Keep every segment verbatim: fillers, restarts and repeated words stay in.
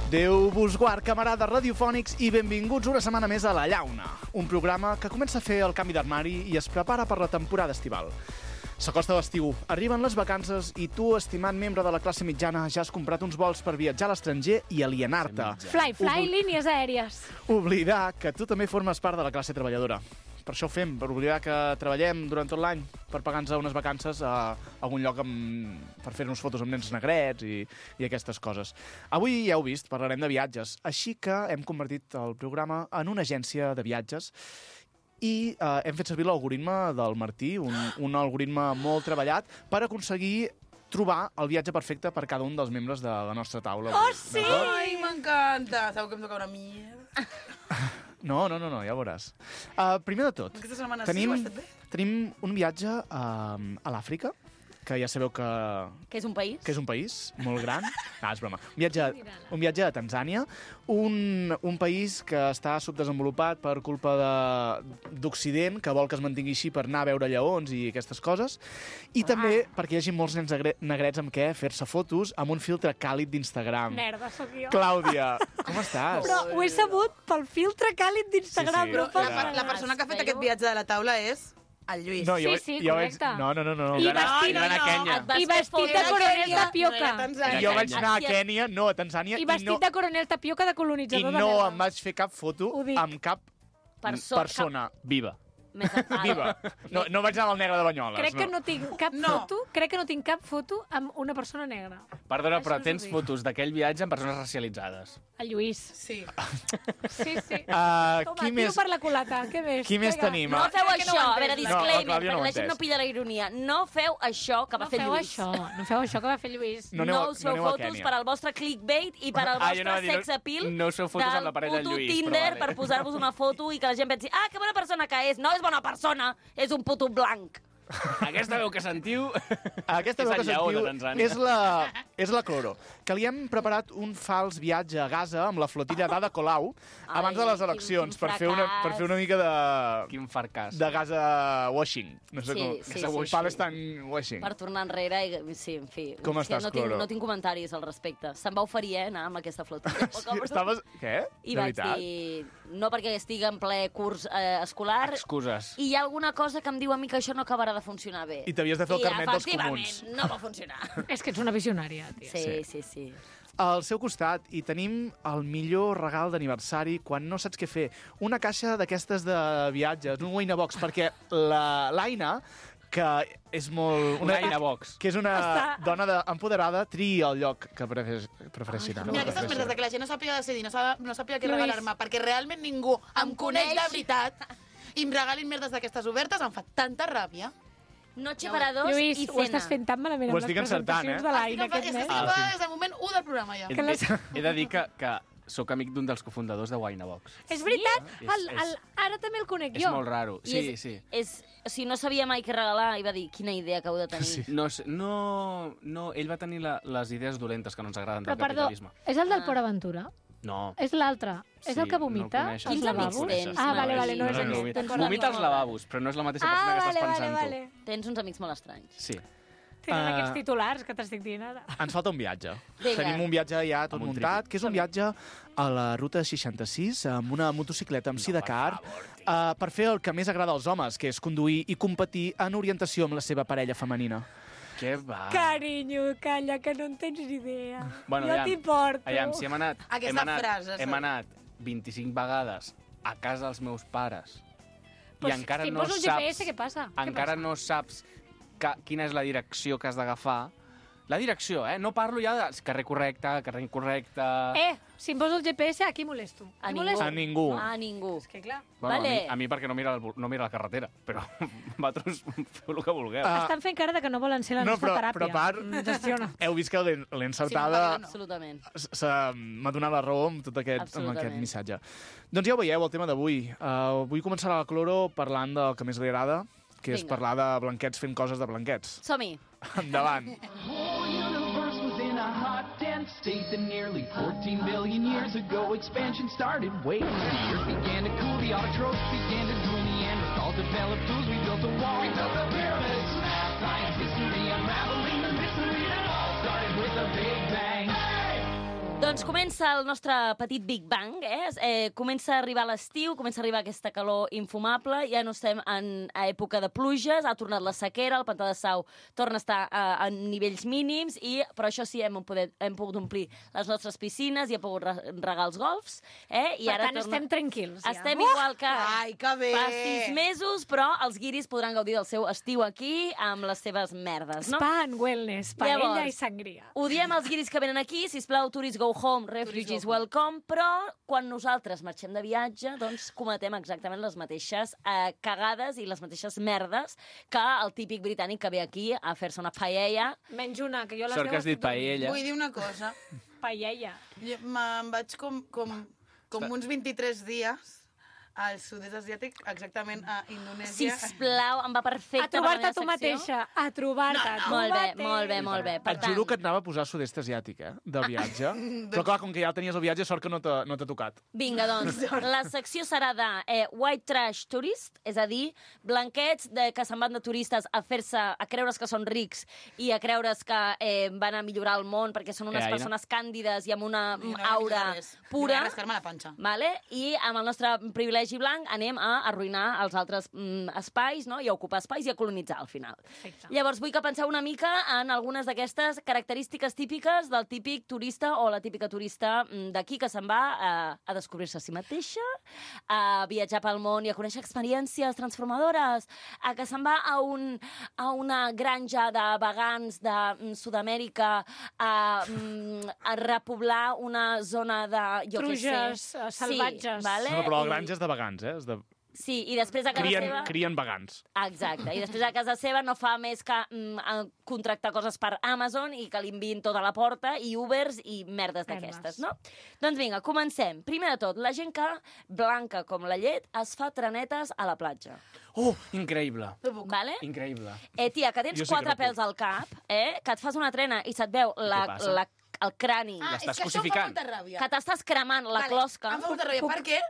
Déu vos guard, camarades radiofònics, i benvinguts una setmana més a La Llauna, un programa que comença a fer el canvi d'armari i es prepara per la temporada estival. S'acosta l'estiu, arriben les vacances i tu, estimat membre de la classe mitjana, ja has comprat uns vols per viatjar a l'estranger i alienar-te. Fly, fly, Obl... línies aèries. Oblidar que tu també formes part de la classe treballadora. Per això ho fem, per oblidar que treballem durant tot l'any per pagar-nos unes vacances a algun lloc amb... per fer-nos fotos amb nens negrets i, i aquestes coses. Avui, ja heu vist, parlarem de viatges, així que hem convertit el programa en una agència de viatges i eh, hem fet servir l'algoritme del Martí, un, un algoritme molt treballat, per aconseguir trobar el viatge perfecte per cada un dels membres de la nostra taula. Oh, sí! Ai, m'encanta! Sabeu que em toca una mierda? No, no, no, no, ja ho veuràs. Uh, primer de tot, Aquesta setmana tenim, sí, ho has fet bé? tenim un viatge uh, a l'Àfrica, que ja sabeu que, Que és un país? que és un país molt gran. No, és broma. Un viatge, un viatge a Tanzània, un, un país que està subdesenvolupat per culpa d'Occident, que vol que es mantingui així per anar a veure lleons i aquestes coses, i Ah. també perquè hi hagi molts nens negre- negrets amb què fer-se fotos amb un filtre càlid d'Instagram. Merda, sóc jo. Clàudia, com estàs? Però ho he sabut pel filtre càlid d'Instagram. Sí, sí. No Però pels la, la persona que ha fet aquest viatge de la taula és el Lluís. No, jo, Sí, sí, jo vaig... correcte. No, no, no, no. I no. vestit, no, no, no. I Et vestit de coronel tapioca. I jo vaig anar a Kènia, no a Tanzània, I i vestit no, de coronel tapioca de i colonitzador de no merda. em vaig fer cap foto Ho dic. amb cap Perso- persona Viva. Més enfada. viva. No, no vaig anar al negre de Banyoles. Crec que no tinc cap No. foto, crec que no tinc cap foto amb una persona negra. Perdona, Això però us ho tens dic. fotos d'aquell viatge amb persones racialitzades. El Lluís. Sí. Sí, sí. Uh, Toma, qui tiro més, per la culata. Què més? qui més Vinga. tenim? No feu Crec que no això, ho a veure, entens. No, la disclaimer, Clàudia no ho perquè la gent entès. no pilla la ironia. No feu això que va No fer feu Lluís. això, no feu això que va fer Lluís. No No, aneu a- us no feu aneu a fotos Kènia. per al vostre clickbait i per al Ah, vostre jo anava a dir, no- sex appeal no us feu fotos amb la parella del puto Lluís, però Tinder vale. per posar-vos una foto i que la gent pensi ah, que bona persona que és. No és bona persona, és un puto blanc. Aquesta veu que sentiu Aquesta és veu que el lleó de sentiu Tanzània. és la, és la Cloro, que li hem preparat un fals viatge a Gaza amb la flotilla d'Ada Colau abans de les quin- eleccions quin per fer, una, per fer una mica de, Quin farcàs. de Gaza washing. No sé Sí, com. sí, Gaza sí, washing. sí. Palestine washing. Per tornar enrere, i, sí, en fi. Com És que estàs, no tinc, Cloro? no tinc comentaris al respecte. Se'm va oferir, eh, anar amb aquesta flotilla. Sí, estaves... Què? I de vaig veritat? dir, no perquè estigui en ple curs eh, escolar, Excuses. i hi ha alguna cosa que em diu a mi que això no acabarà de funcionar bé. I t'havies de fer el I, carnet dels efectivament, comuns. no va funcionar. És que ets una visionària, tia. Sí, sí, sí. Al seu costat hi tenim el millor regal d'aniversari quan no saps què fer. Una caixa d'aquestes de viatges, un Winabox, perquè la l'Aina, que és molt... Una Aina Box. Que és una Està- dona de, empoderada, triï el lloc que prefereix, prefereixi anar. Mira, aquestes merdes de que la gent no sàpiga decidir, no, sàpiga, no sàpiga què Lluís. regalar-me, perquè realment ningú em Em coneix de coneix. veritat i em regalin merdes d'aquestes obertes, em fa tanta ràbia. Noche para dos Lluís, i ho cena. estàs fent tan malament Ho amb les estic encertant, presentacions eh? de l'Aina Estic aquest enfadada- mes. estic Ah, enfadada sí. des del moment u del programa, ja. He, Que les- he, he de dir que, que sóc amic d'un dels cofundadors de Winabox. És veritat? Sí? El, És- el, ara també el conec És jo. molt raro. I Sí, és, sí. És, o sigui, no sabia mai què regalar i va dir, quina idea que heu de tenir. Sí. No, sé- no, no, ell va tenir la, les idees dolentes que no ens agraden Però, del perdó, capitalisme. és el del Ah. Port Aventura? No. És l'altre? És Sí, el que no el vomita? coneixes. als Quins lavabos? amics tens, Ah, vale, vale, no no, és no, aquest. vomita. Tens Perdó. Vomita als lavabos, però no és la mateixa Ah, persona que vale, estàs vale, pensant vale. Tens uns amics molt estranys. tu. Sí. Tenen Ah. aquests titulars que t'estic dient ara. Ens falta un viatge. Vinga. Tenim un viatge ja tot Amb un muntat, tríptic. que és un viatge a la ruta seixanta-sis amb una motocicleta amb sidecar uh, per fer el que més agrada als homes, que és conduir i competir en orientació amb la seva parella femenina. Què va? Carinyo, calla, que no en tens ni idea. Bueno, jo aviam, t'hi porto. Aviam, si hem anat, Aquesta hem anat, frase, hem saps? anat vint-i-cinc vegades a casa dels meus pares Però i encara si em no poso el saps... G P S, què passa? Què Encara passa? no saps que, quina és la direcció que has d'agafar. La direcció, eh? No parlo ja de carrer correcte, carrer incorrecte... Eh, si em poso el G P S, aquí molesto. A Aquí ningú. molesto. A ningú. A ningú. És que clar, Bueno, Vale. a, mi, a mi perquè no mira, el, no mira la carretera, però vosaltres feu el que vulgueu. Ah, estan fent cara de que no volen ser la no, nostra però, teràpia. però a part, Mm, Gestiona. heu vist que l'he l'he Sí, encertada... no, Absolutament. S- se- M'ha donat la raó amb tot aquest, amb Absolutament. aquest missatge. Doncs ja ho veieu, el tema d'avui. Uh, vull començar la Cloro parlant del que més li agrada, que és Vinga. parlar de blanquets fent coses de blanquets. Som-hi. Endavant. whole universe was in a hot, dense state that nearly fourteen billion years ago expansion started. Wait, the earth began to cool, the autotrophs began to drool, Neanderthals developed tools, we built a wall. We built the pyramids, math, science, history, unraveling the mystery that all started with a big bang. Hey! Doncs comença el nostre petit Big Bang, eh? eh comença a arribar l'estiu, comença a arribar aquesta calor infumable, ja no estem en a època de pluges, ha tornat la sequera, el pantà de Sau torna a estar a, a nivells mínims, i però això sí, hem, poder, hem pogut omplir les nostres piscines i hem pogut regar els golfs, eh? I Per ara tant, torna... estem tranquils, ja. Estem igual que Ai, que bé! fa sis mesos, però els guiris podran gaudir del seu estiu aquí amb les seves merdes, no? Spa and wellness, paella Llavors, i sangria. Ho diem als guiris que venen aquí, sisplau, tourists go home, refugees welcome, però quan nosaltres marxem de viatge, doncs cometem exactament les mateixes eh, cagades i les mateixes merdes que el típic britànic que ve aquí a fer-se una paella. Menys una, que jo les Sort que has dit tothom. paella. Vull dir una cosa. Paella. Jo Me'n vaig com, com, com uns vint-i-tres dies al sud-est asiàtic, exactament a Indonèsia. Sisplau, em va perfecte. A trobar-te per la tu meva mateixa. A trobar-te. No, no. Molt bé, molt bé, molt bé. Per Et juro que tant, et anava a posar sud-est asiàtic, eh, de viatge. Però clar, com que ja tenies el viatge, sort que no t'ha no t'ha tocat. vinga, doncs, la secció serà de eh, White Trash Tourist, és a dir, blanquets de, que se'n van de turistes a fer-se, a creure's que són rics i a creure's que eh, van a millorar el món perquè són unes Eh, Aina? persones càndides i amb una No, no, aura no res. pura. No rascar-me la panxa. Vale? I amb el nostre privilegi blanc anem a arruïnar els altres mm, espais, no? I a ocupar espais i a colonitzar al final. Perfecte. Llavors vull que penseu una mica en algunes d'aquestes característiques típiques del típic turista o la típica turista mm, d'aquí que se'n va a, a descobrir-se a si mateixa, a viatjar pel món i a conèixer experiències transformadores, a que se'n va a, un, a una granja de vegans de mm, Sud-amèrica a, mm, a repoblar una zona de, jo què sé... Truges, eh, salvatges. Sí, vale? No, però la I- granja és de vegans, eh? És de... Sí, i després a casa Crien, seva... crien vegans. Exacte, i després a casa seva no fa més que mm, a contractar coses per Amazon i que li enviïn tot a la porta, i Ubers i merdes d'aquestes, no? Doncs vinga, comencem. Primer de tot, la gent que, blanca com la llet, es fa trenetes a la platja. Oh, increïble. No puc. Vale? Increïble. Eh, tia, que tens Jo sí que quatre no puc. pèls al cap, eh? Que et fas una trena i se't veu la, Què passa? la, el crani, Ah, L'estàs és que això em fa cosificant. molta ràbia. que t'estàs cremant la closca Em fa molta ràbia, perquè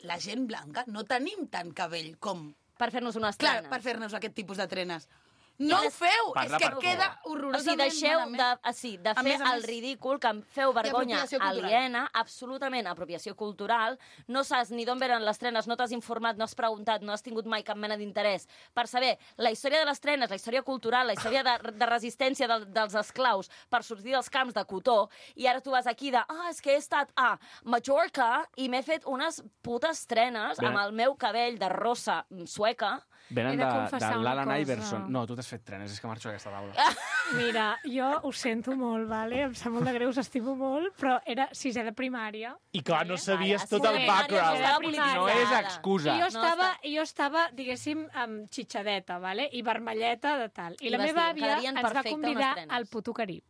la gent blanca no tenim tant cabell com... per fer-nos unes Clar, trenes. per fer-nos aquest tipus de trenes. No ho feu! Parla És que per tu. queda O sigui, horrorosament deixeu de, malament. ah, sí, de A fer més a el més- ridícul, que em feu vergonya apropiació cultural. aliena, absolutament apropiació cultural. No saps ni d'on venen les trenes, no t'has informat, no has preguntat, no has tingut mai cap mena d'interès per saber la història de les trenes, la història cultural, la història de, de resistència del, dels esclaus per sortir dels camps de cotó, i ara tu vas aquí de, ah, és que he estat a Mallorca i m'he fet unes putes trenes Bé. amb el meu cabell de rosa mm, sueca. Venen He de de, de, confessar una l'Alan cosa. Iverson. No, tu t'has fet trenes, és que marxo d'aquesta taula. Mira, jo ho sento molt, vale? Em sap molt de greu, us estimo molt, però era sisè de primària. I clar, no sabies Vale, tot el sí, background. estava No polititzada. No és excusa. I jo No, estava, està- jo estava, diguéssim, amb xitxadeta, vale? I vermelleta de tal. I, I la vas meva dir, àvia quedarien ens va perfecte convidar unes trenes. al Puto Carib.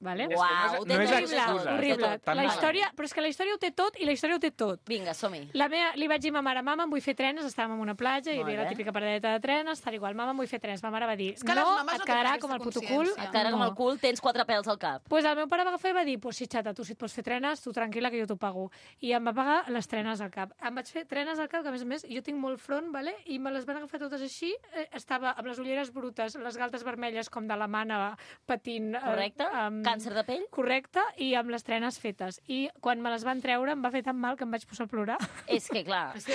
Vale? És que no és- Uau, no és horrible, excusa. horrible. Tot, tan La malament. història, però és que la història ho té tot i la història ho té tot. Vinga, som-hi. La meva, li vaig dir a ma mare, mama, em vull fer trenes, estàvem en una platja, hi Molt havia la bé. típica paradeta de trenes, tal igual, mama, em vull fer trenes. Ma mare va dir, És que les no, mames et no quedarà tenen com el aquesta puto cul. consciència. Et quedarà com el cul, tens quatre pèls al cap. Pues el meu pare va agafar i va dir, pues sí, xata, tu si et pots fer trenes, tu tranquil·la que jo t'ho pago. I em va pagar les trenes al cap. Em vaig fer trenes al cap, que a més a més jo tinc molt front, vale? I me les van agafar totes així. Eh, estava amb les ulleres brutes, les galtes vermelles com de la mana patint. eh, Correcte? amb- Càncer de pell? Correcte, i amb les trenes fetes. I quan me les van treure em va fer tan mal que em vaig posar a plorar. És que, clar, És que,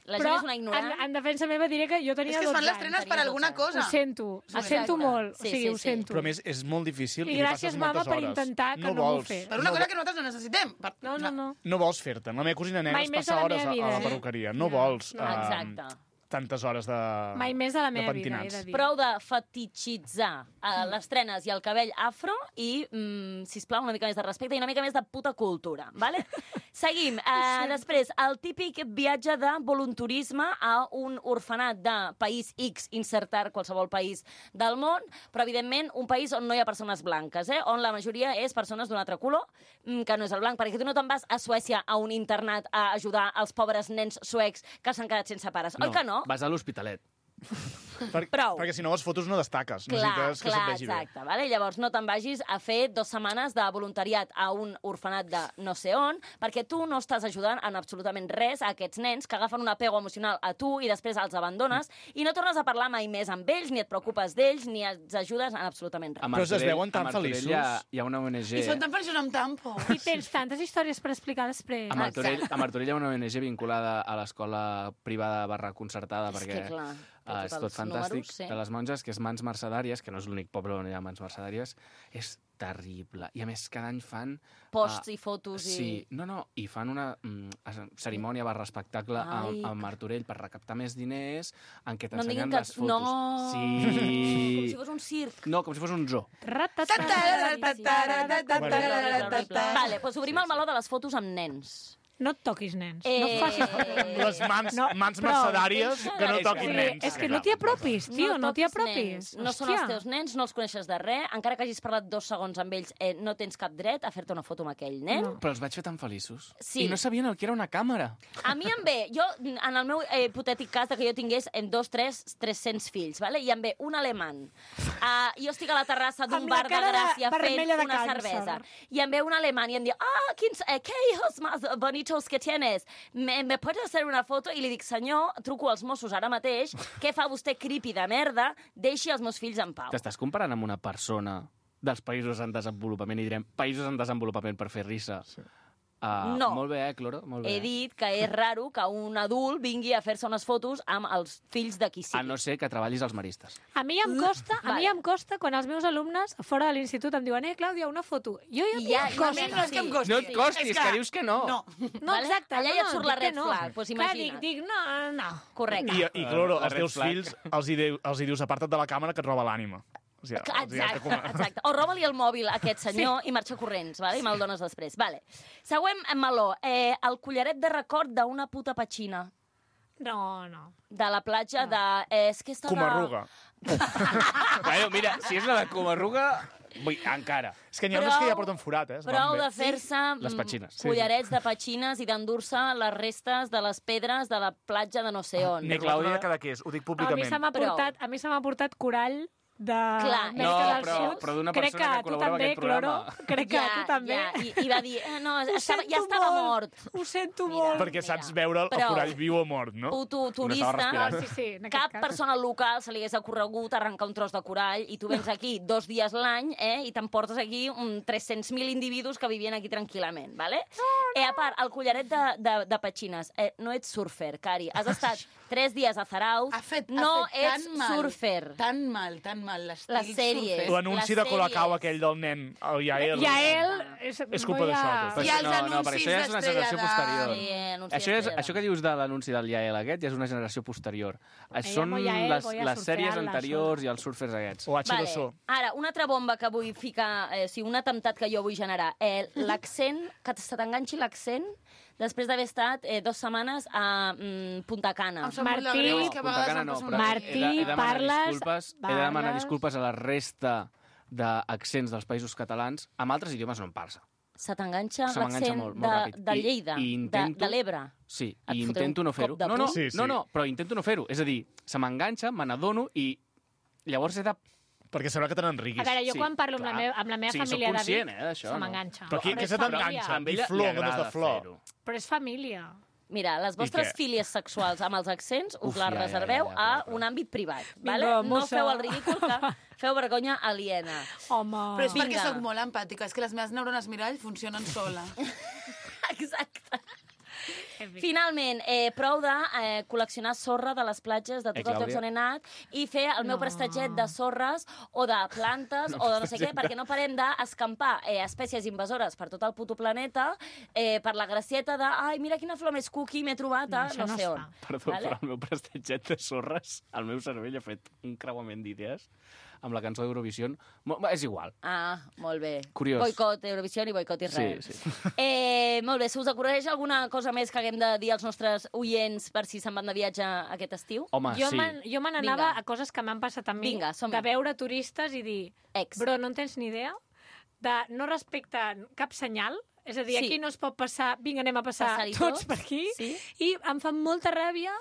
la Però gent és una ignorant. en, en defensa meva diré que jo tenia és que es dotze fan les anys. trenes per tenia alguna dotze anys. cosa. Ho sento, ho Exacte. sento molt. Sí, o sigui, sí, ho sí. sento. Però a més, és molt difícil I i, li gràcies, passes mama, moltes per hores. intentar que no m'ho vols, fes. Per una cosa que nosaltres no necessitem. Per... No, no, no. No vols fer-te'n. La meva cosina negra Mai es més passa a la hores meva a, vida. a la Sí. perruqueria. No No, vols no. eh, Exacte. tantes hores de Mai més a la de meva vida, he pentinats. de dir. Prou de fetichitzar uh, les trenes i el cabell afro i, mm, sisplau, una mica més de respecte i una mica més de puta cultura, vale? Seguim. Uh, després, el típic viatge de volunturisme a un orfenat de país X, insertar qualsevol país del món, però, evidentment, un país on no hi ha persones blanques, eh? On la majoria és persones d'un altre color, mm, que no és el blanc, perquè tu no te'n vas a Suècia a un internat a ajudar els pobres nens suecs que s'han quedat sense pares. Oi que no? Vas a l'Hospitalet. Per, Prou. Perquè si no, les fotos no destaques. Clar, Necessites que clar, se't vegi exacte. Vale? Llavors, no te'n vagis a fer dues setmanes de voluntariat a un orfenat de no sé on, perquè tu no estàs ajudant en absolutament res a aquests nens que agafen un apego emocional a tu i després els abandones i no tornes a parlar mai més amb ells, ni et preocupes d'ells, ni els ajudes en absolutament res. A Però es Martorell- veuen tan a Martorell feliços. Hi ha, hi ha una O N G... I són tan feliços amb tampo. I tens tantes històries per explicar després. A Martorell, a Martorell hi ha una O N G vinculada a l'escola privada barra concertada, És perquè que, clar, té uh, és tots tot els fantàstic, números, sí. de les monges, que és Mans Mercedàries, que no és l'únic poble on hi ha Mans Mercedàries, és terrible. I a més, cada any fan... Posts uh, i fotos i... Sí, no, no, i fan una mm, cerimònia barra espectacle a, Ai, a Martorell per recaptar més diners, en què No em diguin t'ensenyen que... les fotos. No! Sí! Com si fos un circ. No, com si fos un zoo. Vale, doncs obrim el meló de les fotos amb nens. No et toquis nens. Eh, No facis... Les mans, No, mans prou. mercedàries que no És toquin que- nens. És que no t'hi apropis, tio, no t'hi toquis apropis. nens. No són els teus nens, no els coneixes de res. Encara que hagis parlat dos segons amb ells, eh, no tens cap dret a fer-te una foto amb aquell nen. No. Però els vaig fer tan feliços. Sí. I no sabien el que era una càmera. A mi em ve, jo, en el meu eh, hipotètic cas de que jo tingués en dos, tres, tres-cents fills, vale? I em ve un alemany. Uh, jo estic a la terrassa d'un Amb la bar de cara de- Gràcia fent vermella de una càncer. cervesa. I em ve un alemany i em diu, ah, quins, eh, qué hijos más bonitos que tienes. Me, me pots hacer una foto? I li dic, senyor, truco als Mossos ara mateix, què fa vostè creepy de merda? Deixi els meus fills en pau. T'estàs comparant amb una persona dels països en desenvolupament, i direm països en desenvolupament per fer risa. Sí. Uh, No. Molt bé, eh, Cloro? Molt bé. He dit que és raro que un adult vingui a fer-se unes fotos amb els fills de qui sigui. A no ser que treballis als maristes. A mi em costa, a mi Vale. em costa quan els meus alumnes fora de l'institut em diuen, eh, Clàudia, una foto. Jo ja, I ja- em ja costa. m'he- No és que em costi. No et costis, És que dius que no. No. No, Vale? exacte. Allà no, ja et no, surt la dic que red no. flag, doncs Clar, imagina't. dic, dic, no, no. Correcte. I, i Cloro, La els red teus flag. fills els hi, diu, els hi dius aparta't de la càmera que et roba l'ànima. O sigui, els hi has de Exacte, comer. exacte. O roba-li el mòbil a aquest senyor sí. i marxa corrents, vale? i me'l dones després. Vale. Següent meló. Eh, el collaret de record d'una puta petxina. No, no. De la platja de... Eh, és que està Comarruga. de... Bueno, mira, si és la de Comarruga, vull, encara. És que n'hi ha Prou- unes que ja porten forat, eh? Es van Prou bé. de fer-se Les mm, petxines. Sí, collarets de petxines i d'endur-se les restes de les pedres de la platja de no sé on. Ni Clàudia. Clàudia... cada què és, ho dic A mi públicament. se m'ha Prou. portat, a mi se m'ha portat corall de Clar, Amèrica no, del però- Sud. però d'una Crec persona que tu col·labora amb també, aquest programa. Cloro. Crec que tu també. Ja, i, i va dir, eh, no, Ho estava, ja sento estava molt, mort. Ho sento Mira. molt. Perquè saps veure el Prou. corall viu o mort, no? Puto estava turista, respirant. Sí, sí, en aquest cap cas. persona local se li hagués ocorregut arrencar un tros de corall i tu vens aquí dos dies l'any eh, i t'emportes aquí un tres-cents mil individus que vivien aquí tranquil·lament, ¿vale? No, no. Eh, a part, el collaret de, de, de petxines. Eh, no ets surfer, Cari. Has estat tres dies a Zarauz. Ha fet, no ha fet ets tan mal, surfer. Tan mal, tan mal, l'estil Les sèries. surfer. L'anunci les de Colacau sèries. aquell del nen, el Yael. Yael... És, És culpa voy a- d'això, tot. I els no, no, però anuncis això ja és una generació d'Estrella posterior. d'Am. Sí, anunci Això, és, d'Estrella això que dius de l'anunci del Yael aquest ja és una generació posterior. Me Són llamo Yael, les, voy a les sèries surfear la anteriors i els surfers aquests. O H dos O. Ara, una altra bomba que vull ficar, eh, o sigui, un atemptat que jo vull generar. Eh, l'accent, que se t'enganxi l'accent després d'haver estat eh, dues setmanes a mm, Punta Cana. Em sap molt de Martí- greu, és que a Punta vegades Cana em no, passa però una Martí, he de, he de demanar parles- disculpes, he de demanar parles- disculpes a la resta d'accents dels països catalans. Amb altres idiomes no em passa. Se t'enganxa Se m'enganxa l'accent molt, de, molt ràpid. de I- Lleida, i intento- de, de l'Ebre. Sí, Et i fotré intento un no fer-ho. cop de No, no, puny. Sí, sí. no, no, però intento no fer-ho. És a dir, se m'enganxa, me n'adono i llavors he de... Perquè sembla que te n'enriguis. A veure, jo Sí, quan parlo amb la, clar. meva, amb la meva Sí, soc família de conscient, Vic, eh, d'això, se no? m'enganxa. Però qui, Però què és se família. t'enganxa? A ella Dir flor, li en comptes de agrada flor. fer-ho. Però és família. Mira, les vostres què? fílies sexuals amb els accents us Uf, les ja, ja, reserveu ja, ja, a però- un àmbit privat. Vinga, Vale? No mossa. feu el ridícul, que feu vergonya aliena. Home... Però és perquè Vinga. sóc molt empàtica, és que les meves neurones mirall funcionen sola. Exacte. Finalment, eh, prou de eh, col·leccionar sorra de les platges de Eh, tots els llocs Clàudia? on he anat i fer el meu No. prestatget de sorres o de plantes o de no sé què, perquè no parem d'escampar eh, espècies invasores per tot el puto planeta eh, per la gracieta de ai, mira quina flor més cookie m'he trobat a No, això no, no sé es on. fa. Perdó, Vale? però el meu prestatget de sorres, el meu cervell ha fet un creuament d'idees amb la cançó d'Eurovision. Mo- És igual. Ah, molt bé. Curiós. Boicot Eurovisió i boicot Israel. Sí, sí. Eh, molt bé, se us acudeix alguna cosa més que haguem de dir als nostres oients per si se'n van de viatge aquest estiu? Home, Jo sí. me'n jo me n'anava Vinga. a coses que m'han passat a mi, Vinga, som-hi. de veure turistes i dir, Ex. bro, no en tens ni idea, de no respectar cap senyal, és a dir, Sí. aquí no es pot passar, vinga, anem a passar Passar-hi tots tots, per aquí, sí. i em fa molta ràbia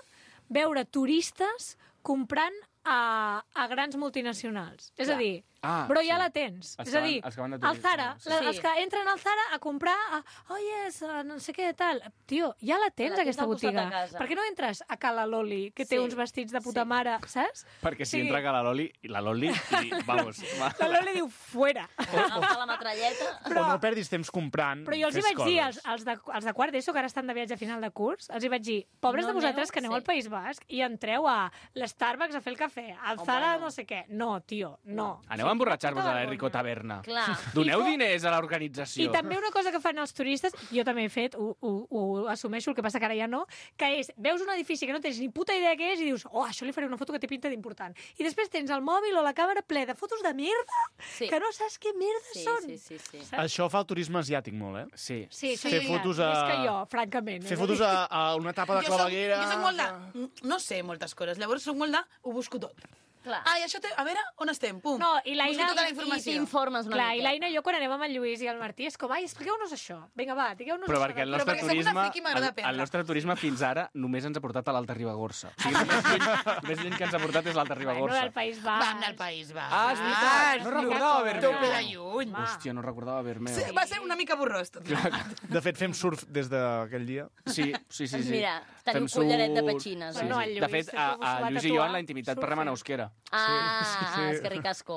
veure turistes comprant a, a grans multinacionals. És a dir, Ah, però ja sí. la tens. Els És que a van- dir, els que van de el Zara, turisme, sí. la, Sí. els que entren al Zara a comprar, a, oh yes, a no sé què, tal. Tio, ja la tens, La tens aquesta al costat botiga. de casa. Per què no entres a Cala Loli, que té Sí. uns vestits de puta Sí. mare, saps? Perquè si Sí. entra que la Loli, la Loli, i, vamos, va. La Loli diu, fuera. Agafa la metralleta. Però- O no perdis temps comprant. Però jo els hi fes vaig dir, als, coses. als, de, als de quart d'ESO, que ara estan de viatge a final de curs, els hi vaig dir, pobres No de vosaltres aneu? que aneu Sí. al País Basc i entreu a l'Starbucks a fer el cafè, al Home, Zara no. no sé què. No, tio, no. Aneu a emborratxar-vos Puta a l'Enrico vergonya. Taverna. Clar. Doneu I fo- diners a l'organització. I també una cosa que fan els turistes, jo també he fet, ho, ho, ho assumeixo, el que passa que ara ja no, que és, veus un edifici que no tens ni puta idea què és i dius, oh, això li faré una foto que té pinta d'important. I després tens el mòbil o la càmera ple de fotos de merda, Sí. que no saps què merda Sí, són. sí, sí, sí. Saps? Això fa el turisme asiàtic molt, eh? Sí. Sí, Sí. sí, Fer fotos a- Més que jo, francament. Fer és a fotos dir. a, a una etapa de Jo soc, claveguera... jo soc molt de... No sé moltes coses, llavors soc molt de... Ho busco tot. Clar. Ah, i això té... A veure, on estem? Pum. No, i l'Aina... Busco tota la I informació. t'informes una Clar, i miqueta. l'Aina i jo quan anem amb el Lluís i el Martí és com, ai, expliqueu-nos això. Vinga, va, digueu-nos Però això. perquè el Però nostre perquè sóc una turisme, friki i m'agrada el, aprendre. el nostre turisme fins ara només ens ha portat a l'Alta Ribagorça. O sigui, el més lluny, el més lluny que ens ha portat és l'Alta Bueno, Ribagorça. del País Basc. Vam anar al País Basc. Ah, és veritat. No recordava haver-me. Tope de lluny. Va. Hòstia, no recordava haver-me. Sí, va ser una mica borrós, tot. De fet, fem surf des d'aquell dia. Sí, sí, sí. sí. Mira, teniu Fem collaret de surf. petxines. Sí, eh? no, el De Lluís, fet, que a, s'ho a va Lluís i jo tatuar. en la intimitat Surfing. parlem en euskera. Ah, sí. ah, és que ricasco.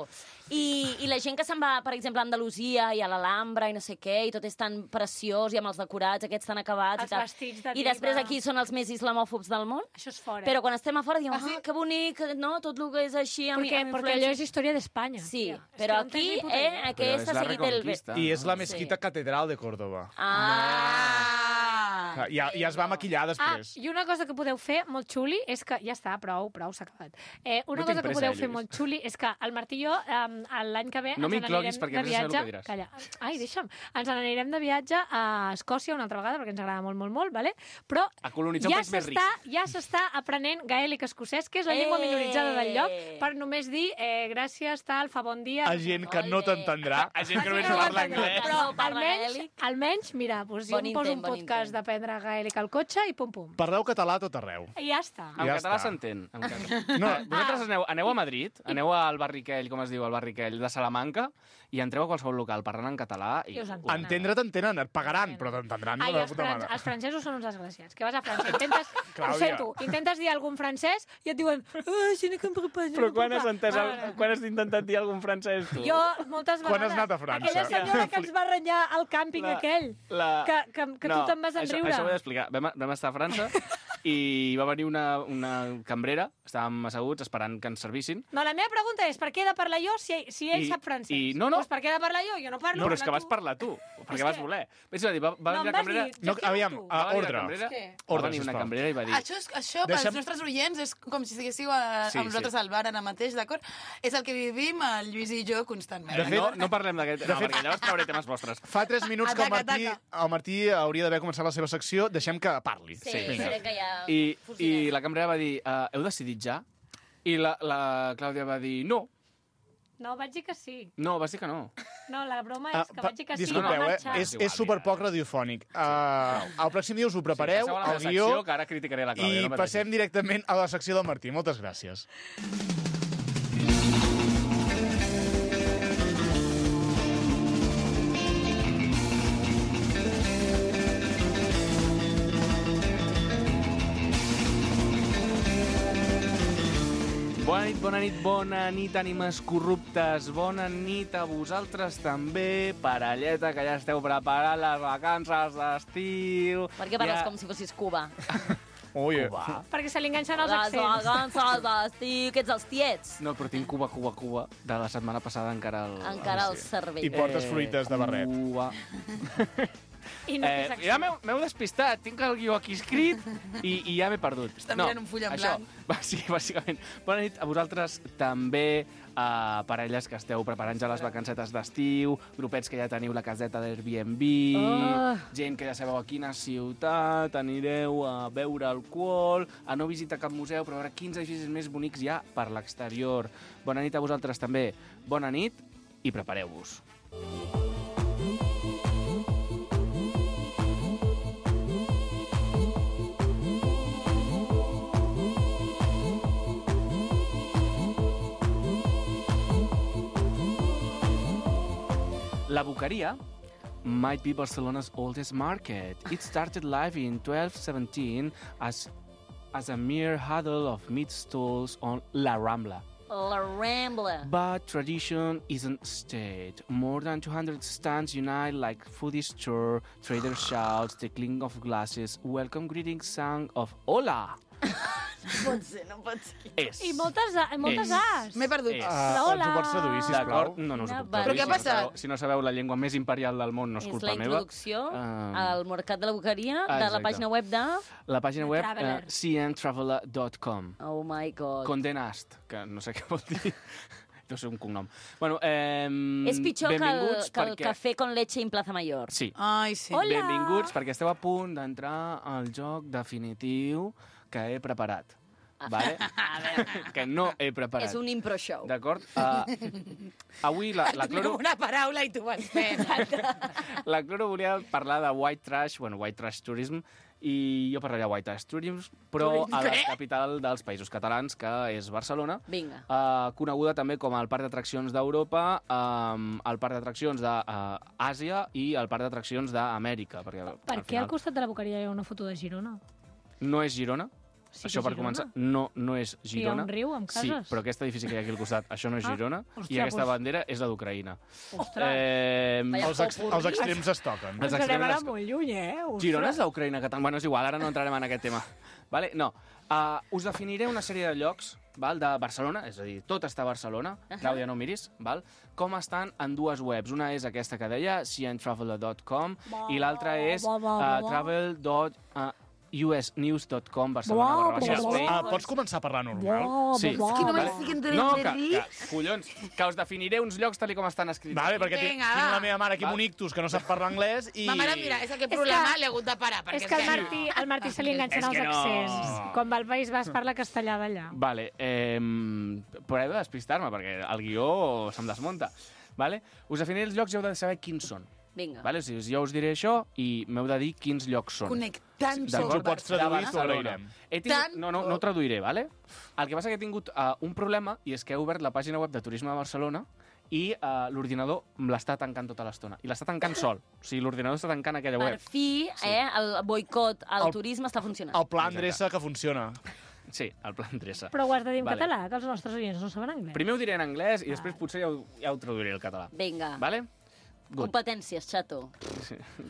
I, I la gent que se'n va, per exemple, a Andalusia i a l'Alhambra i no sé què, i tot és tan preciós i amb els decorats aquests tan acabats Els i tal. vestits de I després diva. aquí són els més islamòfobs del món. Això és fora. Però quan estem a fora diem, Ah, sí? ah, que bonic, no? Tot el que és així amb, perquè, amb perquè allò és història d'Espanya. Sí, tia. És però que no tens aquí, ni puta eh, idea. Però aquest és s'ha la seguit el... Reconquista. I és la Sí. mesquita catedral de Córdoba. Ah! Ah! Ja, ja es va maquillar Ah, després. i una cosa que podeu fer molt xuli és que... Ja està, prou, prou, s'ha acabat. Eh, una No cosa tinc que pressa, podeu eh, fer Lluís. molt xuli és que el Martí i jo eh, l'any que ve No ens m'incloguis n'anirem perquè de vés a saber el viatge... que diràs. Calla. Ai, deixa'm. Ens n'anirem de viatge a Escòcia una altra vegada perquè ens agrada molt, molt, molt, vale? Però A colonitzar un ja país més ric. s'està ja s'està aprenent gaèlic escocès, que és la llengua Eh! minoritzada del lloc, per només dir eh, gràcies, tal, fa bon dia... A gent que no Ole. t'entendrà. A gent que Ah, només sí, no parla m'entendrà. anglès. Però No parla almenys, gaèlic. almenys, mira, doncs jo Bon em poso intent, un bon podcast intent. d'aprendre gaèlic al cotxe i pum-pum. Parleu català a tot arreu. I ja està. En Ja català està. s'entén. en català. No, vosaltres aneu, aneu a Madrid, aneu al Barriquell, com es diu, al Barriquell de Salamanca, i entreu a qualsevol local parlant en català i... I us entenen. Entendre t'entenen, et pagaran, però t'entendran Ai, de els, puta fran mare. els francesos són uns desgraciats. Que vas a França, intentes... ho Clàudia. sento, intentes dir algun francès i et diuen... Ah, si no compro pas, Però quan has, entès, el, Vale. quan has intentat dir algun francès, tu? Jo, moltes vegades... Quan has anat a França? Aquella senyora que ens va renyar al càmping La- aquell, La... que, que, que tu te'n vas això, enriure. això ho he d'explicar. Vam, vam estar a França i va venir una, una cambrera, estàvem asseguts esperant que ens servissin, No, la meva pregunta és, per què he de parlar jo si, si ell I- sap francès? i- no, no. Doncs per què he de parlar jo? Jo no parlo. però és que parla vas tu. parlar tu, perquè És vas que- voler. Vaig dir, va, va No, venir em la vas cambrera... dir, No, gestiono aviam, tu. a va venir ordre. la cambrera, Què? va Ordre, venir una sisplau. cambrera i va dir... Això, és, això pels Deixa'm- nostres oients, és com si estiguéssiu a, Sí, amb nosaltres sí. al bar ara mateix, d'acord? És el que vivim el Lluís i jo constantment. De fet- no, no parlem d'aquest... No, perquè llavors trauré temes vostres. Fa tres minuts que el Ataca, Martí, ataca. el Martí hauria d'haver començat la seva secció. Deixem que parli. Sí, Sí, sí, vinga. que ja... I, I fusinem. la cambrera va dir, uh, heu decidit ja? I la, la Clàudia va dir, no, No, vaig dir que sí. no, vas dir que no. No, la broma Ah, és que pa- vaig dir que sí. disculpeu, va eh? marxar. És, igual, és superpoc radiofònic. Uh, el pròxim dia us ho prepareu, sí, passeu a la el meva guió, secció, que ara criticaré la Clàudia. i no pateixis. passem directament a la secció del Martí. Moltes gràcies. Bona nit, bona nit, bona nit, ànimes corruptes. Bona nit a vosaltres també, parelleta, que ja esteu preparant les vacances d'estiu. Per què parles Ja- com si fossis Cuba? Ui, Cuba. Perquè se li enganxen els Les accents. vacances d'estiu, que ets els tiets. No, però tinc Cuba, Cuba, Cuba, de la setmana passada encara el... Encara el I cervell. portes fruites de barret. Cuba. I no té Eh, secció. ja m'heu m'heu despistat, tinc el guió aquí escrit i, i ja m'he perdut. Està mirant un full en això, blanc. va, sí, bàsicament. Bona nit a vosaltres també, a parelles que esteu preparant ja les vacancetes d'estiu, grupets que ja teniu la caseta d'Airbnb, Oh. gent que ja sabeu a quina ciutat anireu a beure alcohol, a no visitar cap museu, però a veure quins edificis més bonics hi ha per l'exterior. Bona nit a vosaltres també. Bona nit i prepareu-vos. La Boqueria might be Barcelona's oldest market. It started live in twelve seventeen as, as a mere huddle of meat stalls on La Rambla. La Rambla. But tradition isn't stayed. More than two hundred stands unite like foodie store, trader shouts, the clink of glasses, welcome greetings sung of Hola! No pot ser, no pot ser. És. I moltes, a, moltes És. as. M'he perdut. És. Uh, Hola. ens ho pots traduir, sisplau? D'acord? No, no us ho No, puc va. traduir. Però què ha Si no passat? sabeu- Si no sabeu la llengua més imperial del món, no és És culpa la meva. introducció Ah. al mercat de la Boqueria de la Exacte. pàgina web de... La pàgina The web Traveler. uh, c n traveler dot com. Oh my god. Condé Nast, que no sé què vol dir. Deu ser un cognom. Bueno, eh, És pitjor que el, benvinguts que el perquè... cafè con leche en Plaza Mayor. Sí. Ai, sí. Hola. Benvinguts perquè esteu a punt d'entrar al joc definitiu que he preparat. Vale? A veure, Que no he preparat. és un impro show. D'acord? Uh, avui la, la Tenim Cloro... una paraula i tu vas fent. La Cloro volia parlar de white trash, bueno, white trash tourism, i jo parlaria de white trash tourism, però a la capital dels Països Catalans, que és Barcelona, Vinga. uh, coneguda també com el parc d'atraccions d'Europa, um, el parc d'atraccions d'Àsia i el parc d'atraccions d'Amèrica. Perquè, Per al què al final, costat de la Boqueria hi ha una foto de Girona? no és Girona. Sí que Això és per Girona. començar, no, no és Hi ha Girona. un riu amb Sí, cases. però aquest edifici que hi ha aquí al costat, això no és Ah, Girona, hòstia, i aquesta doncs- bandera és la d'Ucraïna. Ostres, Eh, Vaya Els, ex popurrí. els extrems es toquen. Els ens anem extrems ara es- molt lluny, eh? Ostres. Girona és l'Ucraïna catalana. Bueno, és igual, ara no entrarem en aquest tema. Vale? No. Uh, us definiré una sèrie de llocs val, de Barcelona, és a dir, tot està a Barcelona, uh -huh. Clàudia, no miris, val? Com estan en dues webs. Una és aquesta que deia, c n traveler dot com, i l'altra és Bo, bo, bo, uh, bo. travel dot u s news dot com, Barcelona, Bo, barra baixa, bo, bo. Spain. Ah, pots començar a parlar normal? Bo, Sí. bo, És que no bo. m'estic entenent No, de que, res. que, collons, que us definiré uns llocs tal i com estan escrits. Vale, perquè tinc, Vinga, tinc va. la meva mare aquí Va. amb un ictus que no sap parlar anglès i... Ma mare, mira, és aquest És problema que- l'he hagut de parar. Perquè És que al Martí, al Martí se li enganxen És els que no. accents. Quan va al País Basc parla castellà d'allà. Vale, eh, però he de despistar-me, perquè el guió se'm desmunta. Vale? Us definiré els llocs i heu de saber quins són. Vinga. Vale? O sigui, jo us diré això i m'heu de dir quins llocs són. Connectant Si ens ho pots traduir, De t'ho agrairem. He tingut... Tant- No, no, no ho traduiré, vale? El que passa que he tingut uh, un problema i és que he obert la pàgina web de Turisme de Barcelona i uh, l'ordinador me l'està tancant tota l'estona. I l'està tancant sol. O sigui, l'ordinador està tancant aquella Per web. fi, eh, el boicot al El- turisme està funcionant. El plan Exacte. dreça que funciona. Sí, el plan dreça. Però ho has de dir en Vale. català, que els nostres oients no saben anglès. Primer ho diré en anglès i després potser ja ho, ja ho traduiré al català. Vinga. Vale? Good. Competències, chato.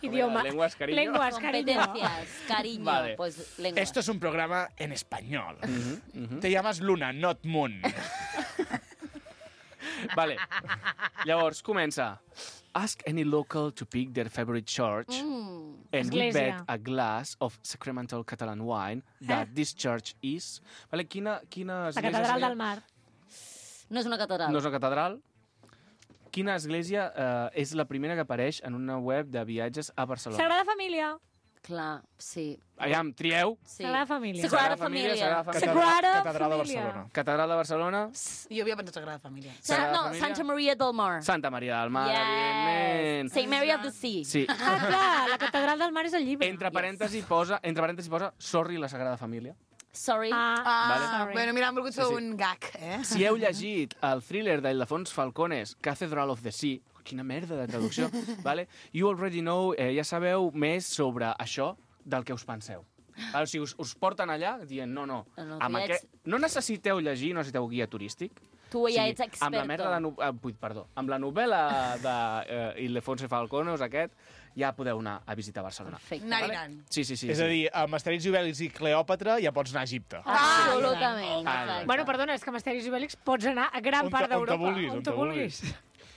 Idioma. Lenguas, cariño. Lenguas, cariño. Competencias, cariño. Vale. Pues lengua. Esto es un programa en español. Mhm. Te llamas Luna, not Moon. Vale. Llavors, comença. Ask any local to pick their favorite church Mm. and we Església. bet a glass of sacramental Catalan wine that this church is... Vale, quina, quina La església catedral seria? del mar. No és una catedral. No és una catedral. Quina església eh, és la primera que apareix en una web de viatges a Barcelona? Sagrada Família. Clar, sí. Aviam, trieu. sí. Sagrada Família. Sagrada Sagrada Família, Família. Sagrada Família. Sagrada Catedral de Família. Barcelona. Catedral de Barcelona. Jo havia pensat Sagrada Família. Sa Sagrada no, Família. Santa Maria del Mar. Santa Maria del Mar, Yes. evidentment. Saint Mary of the Sea. Sí. Ah, clar, la catedral del mar és el llibre. Entre parèntesis posa, entre parèntesis posa Sorry, la Sagrada Família. Sorry. Ah, Ah, Vale. sorry. bueno, mira, hem volgut fer Sí, sí. un gag, eh? Si heu llegit el thriller d'Ildefons Falcones, Cathedral of the Sea, quina merda de traducció, vale? You already know, eh, ja sabeu més sobre això del que us penseu. Vale? O sigui, us, us porten allà dient, no, no, No, no, amb tu ja aquest... no necessiteu llegir, no necessiteu guia turístic. Tu ja ets experto. Amb la merda de... No... Ah, vull, perdó. Amb la novel·la d'Ildefons Falcones, aquest, ja podeu anar a visitar Barcelona. Perfecte. Anar i Vale? anant. Sí, sí, sí. És sí. a dir, amb Asterix i Obèlix i Cleòpatra ja pots anar a Egipte. Absolutament. Ah, exacte. Bueno, perdona, és que amb Asterix i Obèlix pots anar a gran On te- part on te d'Europa. vulguis, on te vulguis.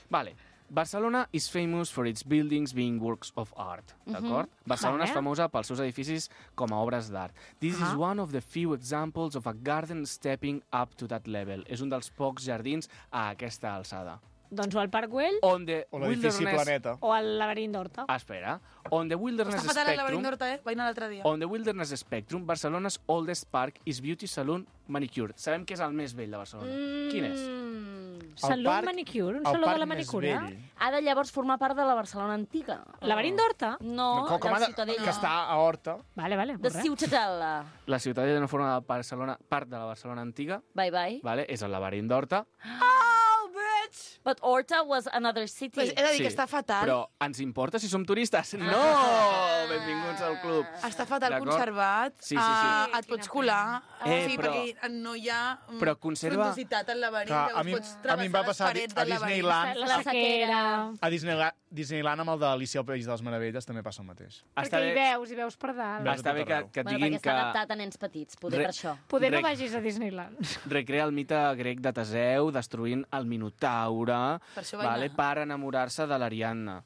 Vale. Barcelona is famous for its buildings being works of art, d'acord? Barcelona Vale. és famosa pels seus edificis com a obres d'art. This is Ah. one of the few examples of a garden stepping up to that level. És un dels pocs jardins a aquesta alçada. Doncs o al Parc Güell On the O l'edifici wilderness... Planeta. o al Laberint d'Horta. Ah, espera. On the wilderness Està fatal el laberint spectrum... d'Horta, eh? Vaig anar l'altre dia. On the wilderness spectrum, Barcelona's oldest park is Beauty Salon Manicure. Sabem que és el més vell de Barcelona. Quin és? Mm. Saló parc- manicure, un El saló de parc la més manicura. vell. Ha de llavors formar part de la Barcelona antiga. Laberint d'Horta? No, com, com de ha de, Ciutadella. que està a Horta. Vale, vale, De molt bé. Ciutadella. La ciutadella no forma de Barcelona, part de la Barcelona antiga, Bye, bye. vale? És el laberint d'Horta. Oh, bitch! vaig. But Horta was another city. Pues he de dir Sí, que està fatal. Però ens importa si som turistes? No! Ah. Benvinguts al club. Està fatal D'acord? conservat. Sí, sí, sí. Ah, Sí, et pots quina colar. Eh, sí, però- perquè no hi ha mm, Però conserva- frondositat al laberint. Clar, Llavors a mi- pots a mi em va travessar les passar a parets Di- a del laberint. Disneyland. La, La sequera. A Disneyland, Disneyland amb el de Alicia al País de les Meravelles també passa el mateix. Perquè hi veus, hi veus per dalt. Veus Està a bé tot que, arreu. que et Bueno, diguin perquè que està adaptat a nens petits, poder Re- per això. Poder no Rec- vagis a Disneyland. recrea el mite grec de Teseu destruint el Minotaure, Per això vaig vale, anar. per enamorar-se de l'Ariadna.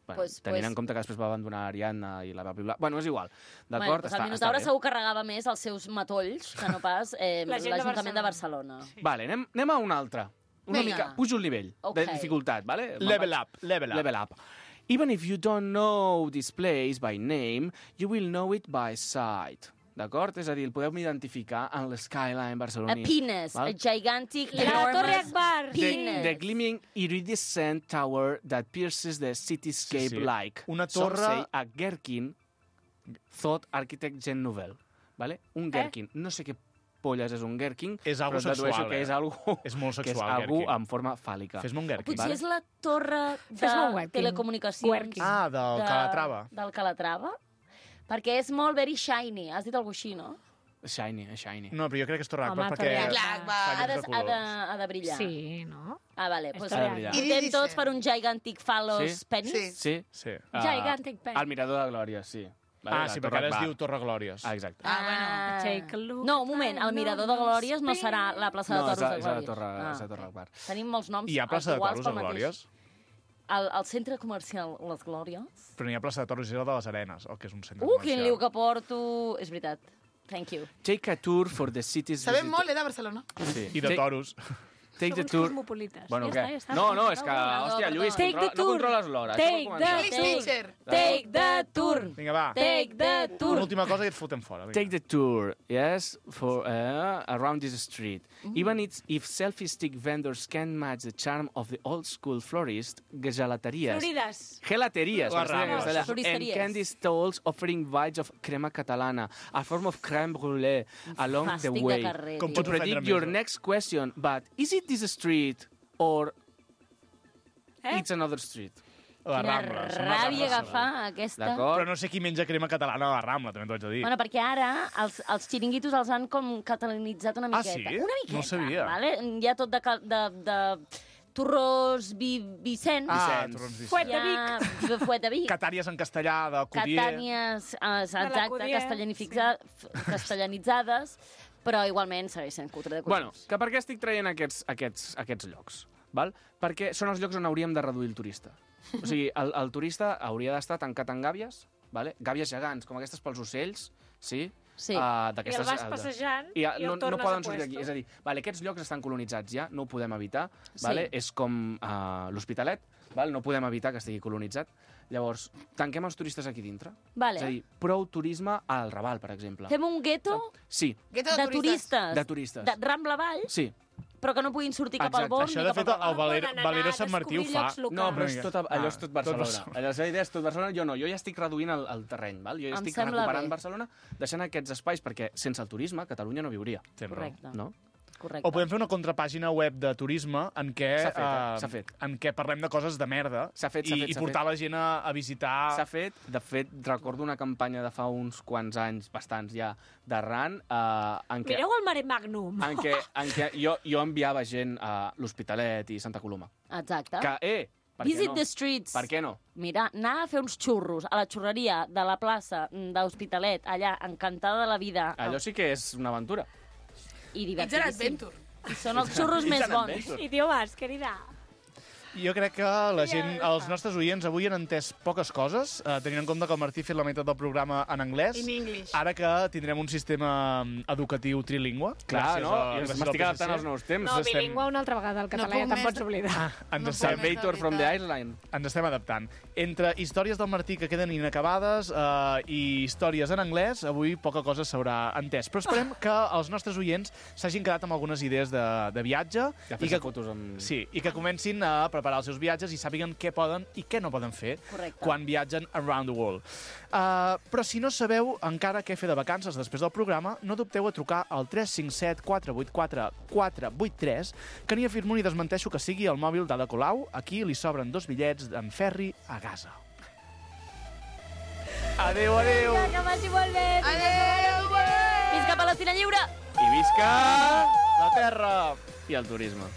Bueno, Pues- tenint pues- en compte que després va abandonar l'Ariadna i la va piblar. Bueno, és igual. Bueno, D'acord? pues està, el Minotaure està bé. segur que regava més els seus matolls que no pas eh, La gent de l'Ajuntament de Barcelona. Vale, anem, anem a un altre. Una Vinga. mica, pujo el nivell Ok. de dificultat, vale? Me'n Level vaig- up, level up. Level up. Even if you don't know this place by name, you will know it by sight. D'acord? És a dir, el podeu identificar en l'skyline A barceloní. penis, Val? a gigantic, La Torre enormous Akbar. The, penis. the gleaming iridescent tower that pierces the cityscape Sí, sí. like. Una Some torre- say a Gherkin thought architect Jean Nouvel. Vale? Un Gherkin. No sé què polles és un Gherkin, És algo però dedueixo sexual, que eh? és algo, És molt que és sexual, algú Gherkin. en forma fàl·lica. Fes-me un Gherkin. Potser Vale. és la torre Fes-me un de Werking. telecomunicacions. Werking. Ah, del Calatrava. Del Calatrava. Perquè és molt very shiny. Has dit alguna així, no? Shiny, shiny. No, però jo crec que és Torre Akbar Home, perquè... Torre Akbar. Clar, va. fa Ha de, llums de ha, de, colors. ha de brillar. Sí, no? Ah, vale. És Pues, Ha de brillar. votem Iridescent. tots per un gigantic phalos Sí? penis? Sí. Sí? Sí. Ah, Gigantic pen. El mirador de Glòria, sí. Vale, Ah, la sí, Torre perquè ara es Akbar. diu Torre Glòries. Ah, exacte. Ah, bueno. Take a look No, un moment, el mirador de Glòries no serà la plaça de No, és toros la, de és la Glòries. Torre, Ah, és la Torre ok. Akbar. Tenim molts noms Hi ha plaça de iguals toros pel a mateix. Glòries? Al, al centre comercial Les Glòries? Però n'hi ha plaça de toros i és el de les Arenes, el que és un centre Uh, quin comercial. liu que porto! És veritat. Thank you. Take a tour for the city's Sabem visit- molt, eh, de Barcelona. Sí. I de Take- toros. Take the Som uns tour... cosmopolites. Bueno, ja què? està, ja està. No, no, és que, Perdó, hòstia, Lluís, perdó. Take the controla, no tour. controles l'hora. Take Això va començar. the English teacher. Take the tour! Vinga, va. Take the Una tour! última cosa i et fotem fora. Vinga. Take the tour, yes, for uh, around this street. Even it's, if selfie stick vendors can match the charm of the old school florist, gelateries, Florides. gelateries, Les per ser en Rambles. castellà, and Floristeries. candy stalls offering vibes of crema catalana, a form of crème brûlée along the Fàstic de way. carrer, Com tio. To pots ofendre predict més, your eh? next question, but is it this street or Eh? it's another street? Les Quina Rambles. són les ràbia Rambles. agafar aquesta... D'acord? Però no sé qui menja crema catalana a la Rambla, també t'ho haig de dir. Bueno, perquè ara els, els xiringuitos els han com catalanitzat una Ah, miqueta. sí? Una miqueta, No ho sabia. Vale? Hi ha tot de, cal- de, de torrós vi, Vicenç. Ah, Vicenç. torrons Vicenç. Fuet hi de ha de Fuet de Vic. Catàries en castellà, de Codier. Catànies, eh, exacte, l'Acudier, castellanifica- f- castellanitzades, però igualment segueix sent cutre de Bueno, collons. que per què estic traient aquests, aquests, aquests llocs? Val? Perquè són els llocs on hauríem de reduir el turista. O sigui, el, el turista hauria d'estar tancat en gàbies, vale? Gàbies gegants, com aquestes pels ocells, sí? Sí. Uh, I el vas passejant I, i, uh, no, el no tornes poden a sortir d'aquí. puesto. És a dir, vale, aquests llocs estan colonitzats ja, no ho podem evitar. Sí. Vale? És com uh, l'Hospitalet, val? No podem evitar que estigui colonitzat. Llavors, tanquem els turistes aquí dintre. Vale. És a dir, prou turisme al Raval, per exemple. Fem un gueto Sí, Gueto de turistes. de turistes. De Rambla Avall, Sí. però que no puguin sortir cap al Exacte. Born Això, ni de cap fet, al el Raval. Valero, Poden anar Valero a Sant Martí ho descobrir fa. llocs locals. No, però és Vinga. tot, allò és tot Barcelona. tot Barcelona. Allò, la idea és tot Barcelona. Jo no, jo ja estic reduint el, el terreny, val? Jo ja Em estic sembla recuperant bé. Barcelona, deixant aquests espais, perquè sense el turisme Catalunya no viuria, Tens raó. Correcte. no? Correcte. O podem fer una contrapàgina web de turisme en què, S'ha fet, eh? eh, S'ha fet. en què parlem de coses de merda S'ha fet, s'ha i, fet, i s'ha portar fet. la gent a, a visitar... S'ha fet, de fet, recordo una campanya de fa uns quants anys, bastants ja, d'arran, eh, en què, Mireu el Mare Magnum. en què, en què jo, jo enviava gent a l'Hospitalet i Santa Coloma. Exacte. Que, eh, per què Visit no? the streets. Per què no? Mira, anar a fer uns xurros a la xurreria de la plaça d'Hospitalet, allà, encantada de la vida. Allò sí que és una aventura. I It's an divertidíssim. adventure. I són els xurros It's més an bons. adventure. Idiomes, querida. Jo crec que la gent, els nostres oients avui han entès poques coses, eh, tenint en compte que el Martí ha fet la meitat del programa en anglès. In English. Ara que tindrem un sistema mm, educatiu trilingüe. Clar, gràcies no? a- Jo gràcies m'estic al adaptant P S C. als nous temps. No, estem- bilingüe una altra vegada, el català puc ja te'n més pots de- oblidar. Ens No estem, puc més. Salvator from the Island. ens estem adaptant. Entre històries del Martí que queden inacabades eh, i històries en anglès, avui poca cosa s'haurà entès. Però esperem que els nostres oients s'hagin quedat amb algunes idees de, de viatge Ja i fes que, fotos amb... sí, i que comencin a preparar preparar els seus viatges i sàpiguen què poden i què no poden fer Correcte. quan viatgen around the world. Uh, però si no sabeu encara què fer de vacances després del programa, no dubteu a trucar al tres cinc set quatre vuit quatre quatre vuit tres, que ni afirmo ni desmenteixo que sigui el mòbil d'Ada Colau. Aquí li sobren dos bitllets d'en Ferri a Gaza. Adéu, adéu! Que vagi molt bé! Adéu! Visca Palestina lliure! I visca la terra i el turisme.